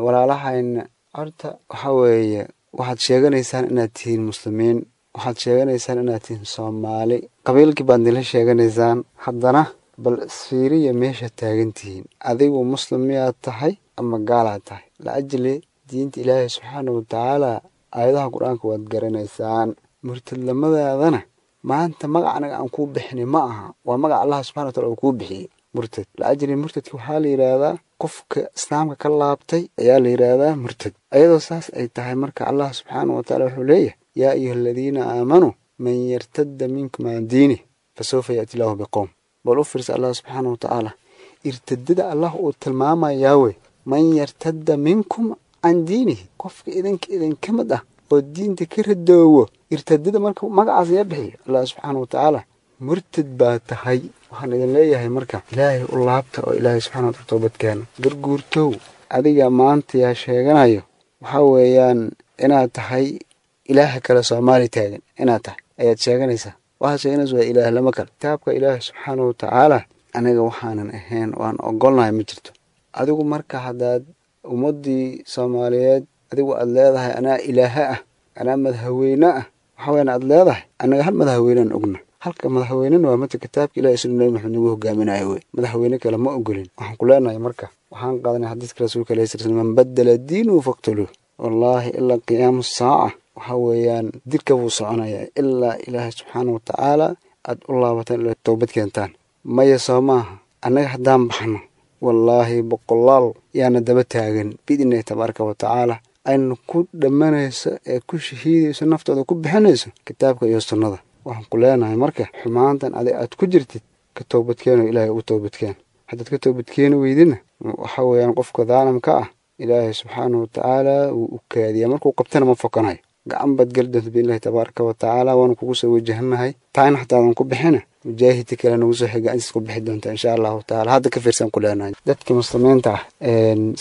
walaalahayna. Horta waxa weeye waxaad sheeganaysaan inaad tihiin muslimiin, waxaad sheeganaysaan inaad tihiin Soomaali, qabiilkii baad nila sheeganaysaan, haddana bal isfiiriya meesha taagan tihiin. Adigu muslim miyaad tahay ama gaalaad tahay? Laajli diinta ilaahay subxaana watacaala aayadaha qur-aanka waad garanaysaan. Murtadlamadaadana maanta magac anaga aan kuu bixinay ma aha, waa magac allah subxana wataala uu kuu bixiyey murtad. Laajli murtadka waxaa la yidhaahdaa qofka islaamka ka laabtay ayaa la yidhaahdaa murtad. Ayadoo saas ay tahay marka allah subxaana watacaala wuxuu leeyahay yaa ayuha aladiina aamanuu man yartadda minkum can diinih fasawfa yaati illaahu biqowm. Bal u fiirsa allah subxaana watacaala irtadada allah uu tilmaamayaa wey, man yartadda minkum can diinihi, qofka idinka idinka mid ah oo diinta ka radoowo. Irtadada marka magacaas yaa bixiyo allah subxaana watacaala, murtad baa tahay. Waxaan idin leeyahay marka ilaahay u laabta oo ilaahay subxana wataala toobad keena. Garguurtow, Adiga maanta yaa sheeganayo waxaa weeyaan inaad tahay ilaaha kale Soomaali taagan inaad tahay ayaad sheeganaysaa. Waxaad sheeganaysa waa ilaah lama kale. Kitaabka Ilaahi subxaanahu watacaala aniga waxaanan ahayn waan ogolnahay ma jirto. Adigu marka haddaad ummaddii Soomaaliyeed adigu aad leedahay anaa ilaaha ah, anaa madaxweyne ah, waxaa weyaan aad leedahay annaga hal madaxweynaan ogna. Halka madaxweynena waa mata kitaabka Ilaahi sunna Nabi Maxamed nagu hogaaminayo wey. Madaxweyne kale ma ogolin. Waxaan ku leenahay marka waxaan qaadanay xadiiska rasuulka alayhi salatu wasalaam, man badala diinuhu faqtuluuh. Wallaahi ilaa qiyaamu saaca waxaa weeyaan dilka buu soconayaa ilaa Ilaahay subxaana watacaala aad u laabataan ilaa toobad keentaan. Maya soo maaha annaga haddaan baxno wallaahi boqolaal yaana daba taagan biidnillahi tabaaraka watacaala ayna ku dhammanayso ee ku shahiidayso naftooda ku bixinayso kitaabka iyo sunnada. Waxaan ku leenahay marka xumaantan adig aad ku jirtid ka toobadkeeno, Ilaahay ugu toobadkeen. Haddaad ka toobadkeeni weydina waxa weeyaan qofka daalimka ah Ilaahay subxaanahu watacaala wuu u kaadiyaa, markuu qabtana ma fokanayo. Gacan baad geli doonta biidnillahi tabaaraka watacaala, waanu kugu soo wajahanahay. Taana xataa aadan ku bixina mujaahidka kale nagu soo xiga intaas ku bixi doonta insha allahu tacaala. Hadda ka fiirsan ku leenahay dadka muslimiinta ah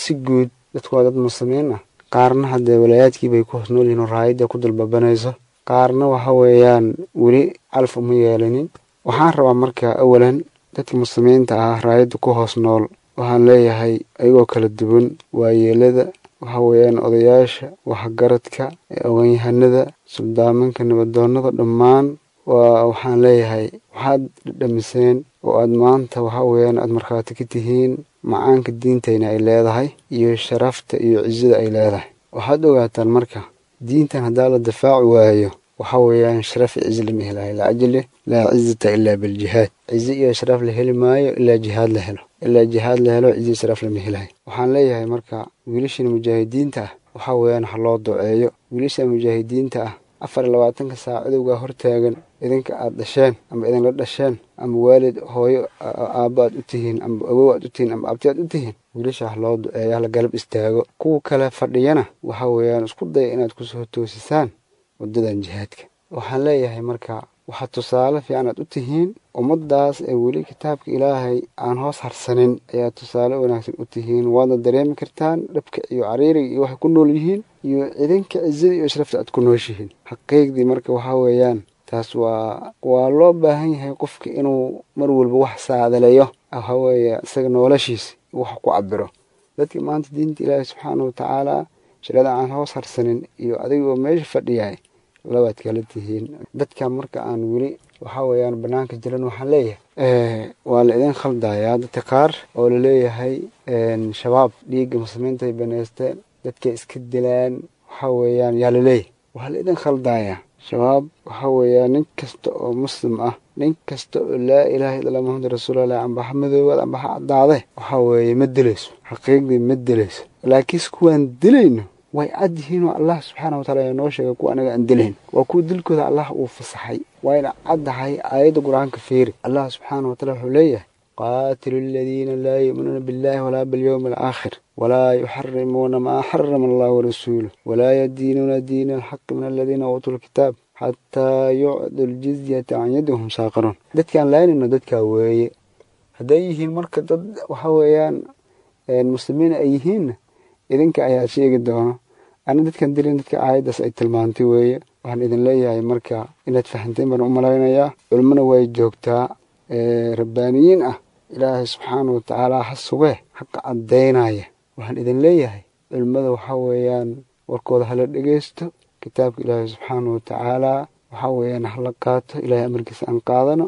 si guud, dadku waa dad muslimiin ah. Qaarna haddee walaayaadkii bay ku hoos nool yihiin oo raayadda ku dulbabanayso, qaarna waxa weeyaan weli calaf uma yeelanin. Waxaan rabaa marka awalan dadka muslimiinta ah raayadda ku hoos nool waxaan leeyahay ayagoo kala duwan, waayeelada waxa weeyaan odayaasha, waxgaradka, oganyahanada, suldaamanka, nabadoonada, dhammaan waa waxaan leeyahay waxaad dhadhamiseen oo aad maanta waxa weeyaan aad markhaati ka tihiin macaanka diintayna ay leedahay iyo sharafta iyo cizada ay leedahay. Waxaad ogaataan marka diintan haddaa la difaaci waayo waxa weeyaan sharaf iyo cizo lama helayo. Lacajile laa cizata ilaa biljihaad, cizo iyo sharaf la heli maayo ilaa jihaad la helo, ilaa jihaad la helo cizo iyo sharaf lama helayo. Waxaan leeyahay marka wiilashan mujaahidiinta ah waxa weeyaan ha loo duceeyo. Wiilasha mujaahidiinta ah 24 saac cadowgaa hortaagan, idinka aad dhasheen ama idinla dhasheen ama waalid hooyo aabba aad u tihiin ama awow aad u tihiin ama abti aad u tihiin, wiilasha ha loo duceeyo, hala galab istaago. Kuwa kale fadhiyana waxa weeyaan isku daya inaad kusoo toosisaan waddadan jihaadka. Waxaan leeyahay marka waxaad tusaale fiican aad u tihiin ummaddaas ee weli kitaabka Ilaahay aan hoos harsanin ayaa tusaale wanaagsan u tihiin. Waadna dareemi kartaan dhibka iyo cariiriga iyo waxay ku nool yihiin iyo idinka cizada iyo sharafta aad ku nooshihiin xaqiiqdii. Marka waxaa weeyaan taas waa loo baahan yahay qofka inuu mar walba wax saadaleeyo, waxa weeye isaga noloshiisa wax ku cabiro. Dadka maanta diinta Ilaahay subxaana watacaala shareecada aan hoos harsanin iyo adigoo meesha fadhiyahay labaad kala tihiin. Dadka marka aan weli waxa weeyaan banaanka jiran waxaan leeyahay waa la idin khaldayaa dadka qaar oo laleeyahay shabaab dhiigga muslimiinta ay baneysteen, dadkay iska dilaan, waxa weeyaan yaa laleeyahay waa la idin khaldayaa. Shabaab waxa weeyaan nin kasta oo muslim ah, nin kasta oo laa ilaaha illa Muhammad rasuulullah amba ha madoobaad amba ha caddaade, waxa weeye ma dilayso, xaqiiqdii ma dilayso. Laakiinse kuwaan dilayno way cad yihiin oo Allah subxaana wataala ayaa noo sheegay kuwa anaga aan dilayn waa kuwa dilkooda Allah uu fasaxay. Wayna caddahay aayadda Qur-aanka fiiri. Allah subxaana wataala wuxuu leeyahay qaatilu aladiina laa yu'minuuna billahi walaa bilyawmi alaakhir walaa yuxarimuuna maa xarama allah warasuuluh walaa yadiinuuna diina alxaqi min aladiina uutuu lkitaab xataa yucdu ljizyata can yadi wahum saaqiruun. Dadkaan laaynayno dadkaa weeye. Hadday yihiin marka dad waxa weeyaan muslimiin ay yihiinna idinka ayaa sheegi doono. Ana dadkan dilin dadka aayaddaas ay tilmaantay weeye. Waxaan idin leeyahay marka inaad fahanteen baan u malaynayaa. Culimmona way joogtaa rabbaaniyiin ah, Ilaahay subxaana watacaala ha sugee xaqa caddaynaya. Waxaan idin leeyahay culimmada waxa weeyaan warkooda hala dhegeysto, kitaabka Ilaahay subxaana watacaala waxa weeyaan hala qaato, Ilaahay amarkiisa aan qaadano.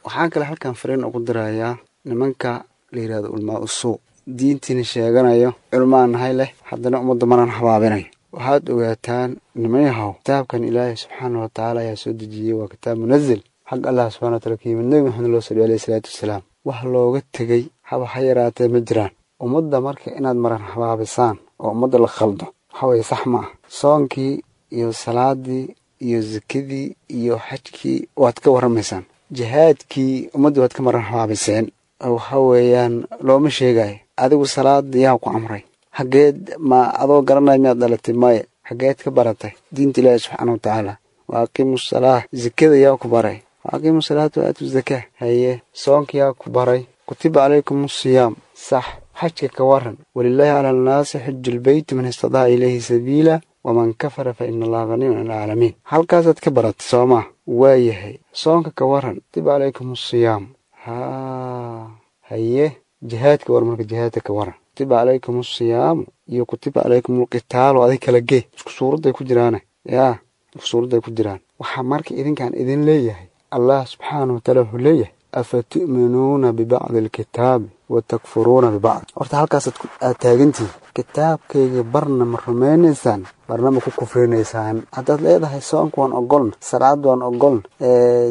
Waxaan kale halkan fariin ugu dirayaa nimanka la yidhahdo ulmaa usuu, diintiina sheeganayo, culmaan nahay leh, haddana ummadda maran habaabinayo. Waxaad ogaataan nimanyahow kitaabkan Ilaahay subxaana watacaala ayaa soo dejiyey, waa kitaab munazil xag Allah subxana wataala ka yimid, Nebi Maxamed loo saliyo alayhi salaatu wasalaam. Wax looga tegey haba ha yaraatee ma jiraan. Ummadda marka inaad maran habaabisaan oo ummadda la khaldo waxa weeye sax ma ah. Soonkii iyo salaadii iyo sakadii iyo xajkii waad ka warramaysaan, jihaadkii ummaddii waad ka maran habaabiseen, waxa weeyaan looma sheegayo. Adigu salaada yaa ku amray? Xageed ma adoo garanaya miyaad dhalatay? Maya. Xageed ka baratay diinta Ilaahi subxaana watacaala? Wa aqiimu salaa. Zakada yaa ku baray? Wa aqiimu salaata wa aatu zakaa. Haye, soonka yaa ku baray? Kutiba calaykum asiyaam. Sax. Xajka ka waran, walilaahi cala annaasi xiju lbeyti man istadaca ilayhi sabiila waman kafara fa ina allaha haniyun can alcaalamiin. Halkaasaad ka baratay soomaa? Waayahay. Soonka ka waran, kutiba calaykum asiyaam. Haa, haye. Jihaadka war, marka jihaadka ka waran, kutiba calaykum asiyaamu iyo kutiba calaykum alqitaalu, adig kala gee, isku suuradday ku jiraane, yaa isku suuradday ku jiraan. Waxaa marka idinkaan idin leeyahay, Allah subxaana watacaala wuxuu leeyahay afatu'minuuna bibacdi alkitaabi wa takfuruuna bibacd. Horta halkaasaad aad taagantihin, kitaabkayga barna ma rumaynaysaan, barna ma ku kufrinaysaan. Haddaad leedahay soonka waan ogolna, salaad waan ogolna,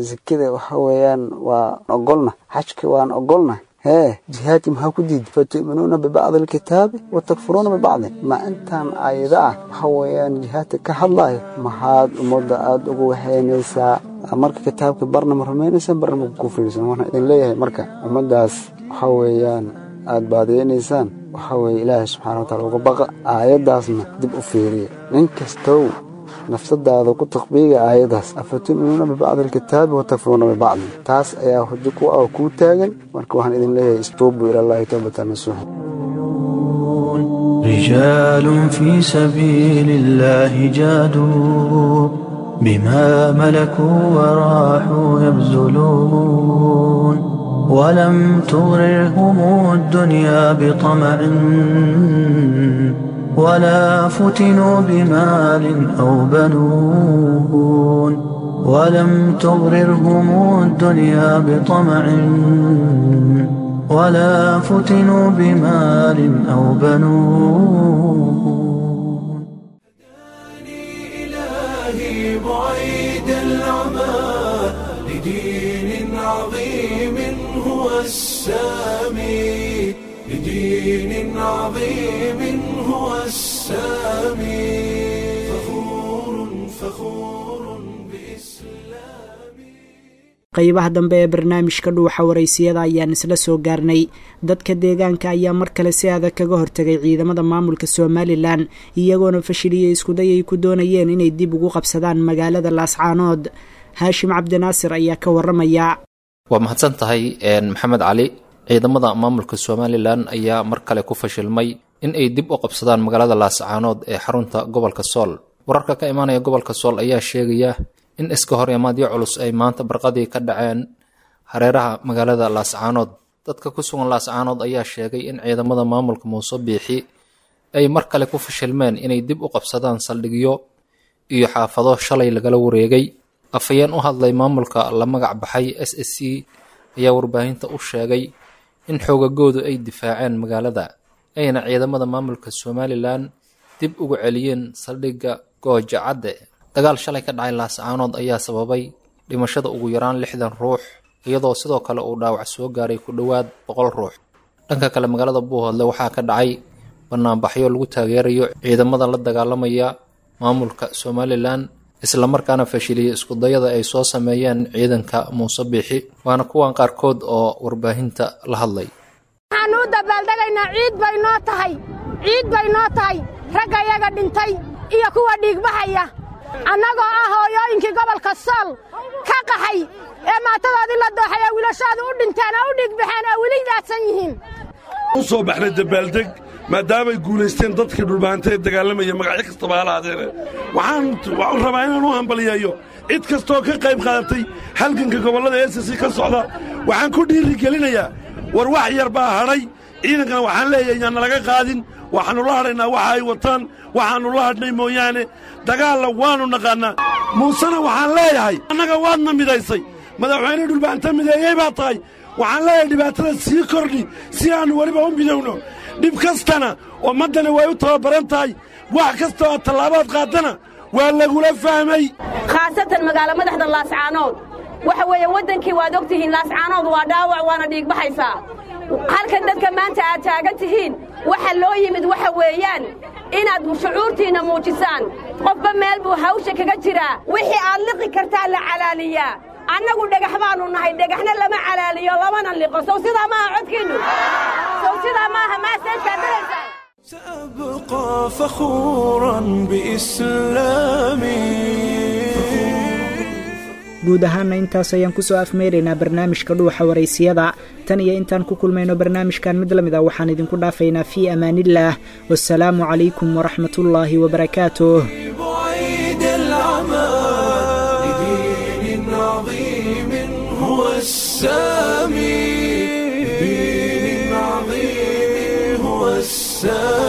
zakada waxa weeyaan waan ogolna, xajka waan ogolna, hee jihaadki maxaa ku diiday? Fatu'minuuna bibacdi alkitaabi wa takfuruuna bibacdin. Ma intaan aayado ah waxa weeyaan jihaadka ka hadlayo maxaad ummadda aada ugu waxeynaysaa? Marka kitaabka barna ma rumaynaysaan, barna ma ku kufrinaysaan. Waxaan idin leeyahay marka ummaddaas waxa weeyaan aada baadiyeynaysaan, waxa weeye Ilaahay subxana watacala uga baqa, aayaddaasna dib u fiiriya. Nin kastow nafsadaada ku taqbiiga aayaddaas, afatu'minuuna bibacdi alkitaabi wa takfuruuna bibacdin, taas ayaa xujo ku ah oo kuu taagan. Marka waxaan idin leeyahay istuubuu ilallaahi towbatan nasuuxa. رجال في سبيل الله جادوا بما ملكوا وراحوا يبذلون، ولم تغررهم الدنيا بطمع ولا فتنوا بمال أو بنون، ولم تغررهم الدنيا بطمع ولا فتنوا بمال أو بنون. إلهي بعيد العمى لدين عظيم هو السامي، لدين عظيم هو السامي، فخور فخور بإسلامي. Qaybaha dambe ee barnaamijka Dhuuxa Waraysiyada ayaan isla soo gaarnay. Dadka deegaanka ayaa mar kale si adag kaga hortagay ciidamada maamulka Somalilan, iyagoona fashiliyey iskuday ay ku doonayeen inay dib ugu qabsadaan magaalada Laascaanood. Haashim Cabdinaasir ayaa ka waramaya. Waa mahadsan tahay Maxamed Cali. Ciidamada maamulka Somalilan ayaa mar kale ku fashilmay in ay dib u qabsadaan magaalada Laascaanood ee xarunta gobolka Sool. Wararka ka imaanaya gobolka Sool ayaa sheegaya in iska hor imaadyo culus ay maanta barqadii ka dhaceen hareeraha magaalada Laascaanood. Dadka ku sugan Laascaanood ayaa sheegay in ciidamada maamulka Muuse Biixi ay mar kale ku fashilmeen inay dib u qabsadaan saldhigyo iyo xaafado shalay lagala wareegay. Afhayeen u hadlay maamulka la magac baxay SSC ayaa warbaahinta u sheegay in xoogagoodu ay difaaceen magaalada, ayna ciidamada maamulka Somalilan dib ugu celiyeen saldhigga Gooja Cadde. Dagaal shalay ka dhacay Laascaanood ayaa sababay dhimashada ugu yaraan 60 ruux, iyadoo sidoo kale uu dhaawac soo gaaray ku dhowaad 100 ruux. Dhanka kale, magaalada Buuhoodle waxaa ka dhacay banaanbaxyo lagu taageerayo ciidamada la dagaalamaya maamulka Somalilan, islamarkaana fashiliyey iskudayada ay soo sameeyeen ciidanka Muuse Biixi. Waana kuwan qaarkood oo warbaahinta la hadlay. Waxaanu u dabaaldegaynaa ciid bay noo tahay, ciid bay noo tahay, ragga yaga dhintay iyo kuwa dhiigbaxaya, annagoo ah hooyooyinkii gobolka Sool ka qaxay ee maatadoodii la dooxay ee wiilashaadu u dhinteen oo u dhiigbaxeen oo weli daadsan yihiin. U soo baxnay dabaaldeg maadaamay guulaysteen dadkii dhulbaanta ee dagaalamaya, magacyo kastaba ha lahaadeene. Waxaan rabaa inaan u hambaliyeeyo cid kastooo ka qayb qaadatay halganka gobollada SSC ka socda. Waxaan ku dhiirigelinayaa, war wax yar baa hadhay ciidankana, waxaan leeyahay yaan nalaga qaadin. Waxaannu la hadhaynaa waxa ay wataan, waxaannu la hadhnay mooyaane, dagaalla waannu naqaannaa. Muusena waxaan leeyahay annaga waadna midaysay, madaxweyne dhulbaanta mideeyey baa tahay. Waxaan leeyahay dhibaatada sii kordhi si aannu weliba u midowno. Dhib kastana ummaddani way u tababaran tahay, wax kasta oo tallaabaad qaadana waa lagula fahmay. Khaasatan magaalo madaxda Laascaanood waxa weeye waddankii waad og tihiin, Laascaanood waa dhaawac waana dhiigbaxaysaa. Halkan dadka maanta aad taagan tihiin waxa loo yimid waxa weeyaan inaad shucuurtiinna muujisaan. Qofba meel buu hawsha kaga jiraa, wixii aad liqi kartaa la calaaliyaa. Annagu dhagax baannu nahay, dhagaxna lama calaaliyo lamana liqo. Sow sidaa maaha codkiinnu? Sow sidaa maaha? Maaseejkaad daraysaan. سأبقى فخورا بإسلامي. Guud ahaanna intaas ayaan kusoo afmeeraynaa barnaamijka Dhuuxa Waraysiyada. Tan iyo intaan ku kulmayno barnaamijkan mid lamid ah, waxaan idinku dhaafaynaa fii amaanillaah, wasalaamu calaykum waraxmatullaahi wabarakaatuh. بعيد العمى لدين عظيم هو السامي، لدين عظيم هو السامي.